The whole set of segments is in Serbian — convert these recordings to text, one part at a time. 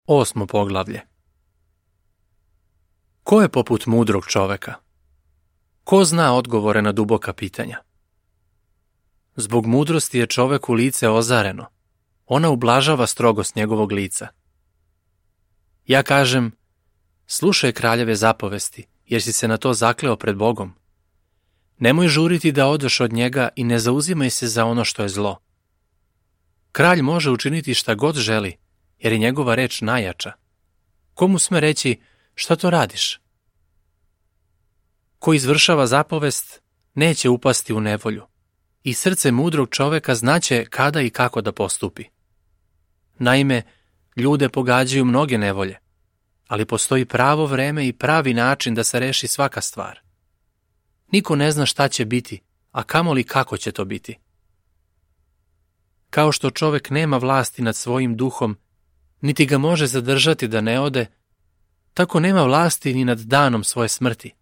8. poglavlje. Ko je poput mudrog čoveka? Ko zna odgovore na duboka pitanja? Zbog mudrosti je čoveku lice ozareno. Ona ublažava strogost njegovog lica. Ja kažem, slušaj kraljeve zapovesti, jer si se na to zakleo pred Bogom. Nemoj žuriti da odeš od njega i ne zauzimaj se za ono što je zlo. Kralj može učiniti šta god želi, jer je njegova reč najjača. Komu sme reći, šta to radiš? Ko izvršava zapovest, neće upasti u nevolju, i srce mudrog čoveka znaće kada i kako da postupi. Naime, ljude pogađaju mnoge nevolje, ali postoji pravo vreme i pravi način da se reši svaka stvar. Niko ne zna šta će biti, a kamoli kako će to biti. Kao što čovek nema vlasti nad svojim duhom, niti ga može zadržati da ne ode, tako nema vlasti ni nad danom svoje smrti.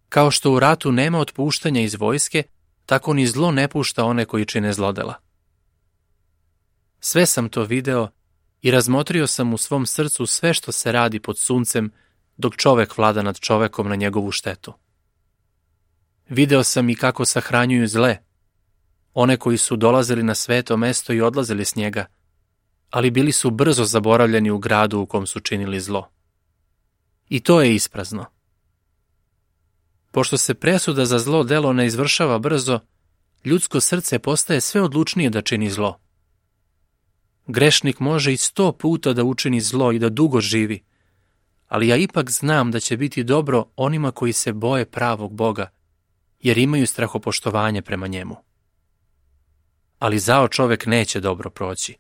Kao što u ratu nema otpuštanja iz vojske, tako ni zlo ne pušta one koji čine zlodela. Sve sam to video i razmotrio sam u svom srcu sve što se radi pod suncem, dok čovek vlada nad čovekom na njegovu štetu. Video sam i kako sahranjuju zle, one koji su dolazili na sveto mesto i odlazili s njega, ali bili su brzo zaboravljeni u gradu u kom su činili zlo. I to je isprazno. Pošto se presuda za zlo delo ne izvršava brzo, ljudsko srce postaje sve odlučnije da čini zlo. Grešnik može i 100 puta da učini zlo i da dugo živi, ali ja ipak znam da će biti dobro onima koji se boje pravog Boga, jer imaju strahopoštovanje prema njemu. Ali zao čovek neće dobro proći,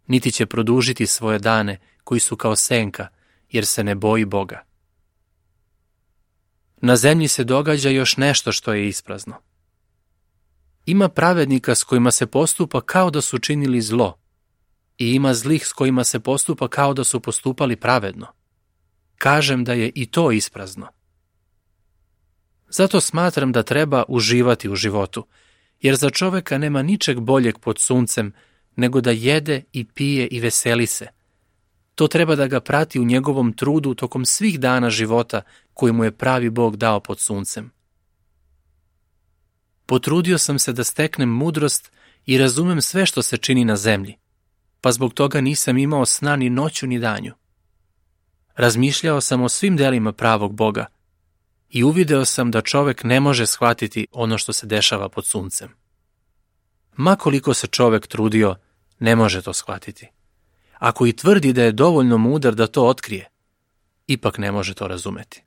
niti će produžiti svoje dane koji su kao senka, jer se ne boji Boga. Na zemlji se događa još nešto što je isprazno. Ima pravednika s kojima se postupa kao da su činili zlo, i ima zlih s kojima se postupa kao da su postupali pravedno. Kažem da je i to isprazno. Zato smatram da treba uživati u životu, jer za čoveka nema ničeg boljeg pod suncem nego da jede i pije i veseli se. To treba da ga prati u njegovom trudu tokom svih dana života koji mu je pravi Bog dao pod suncem. Potrudio sam se da steknem mudrost i razumem sve što se čini na zemlji, pa zbog toga nisam imao sna ni noću ni danju. Razmišljao sam o svim delima pravog Boga i uvideo sam da čovek ne može shvatiti ono što se dešava pod suncem. Ma koliko se čovek trudio, ne može to shvatiti. Ako i tvrdi da je dovoljno mudar da to otkrije, ipak ne može to razumeti.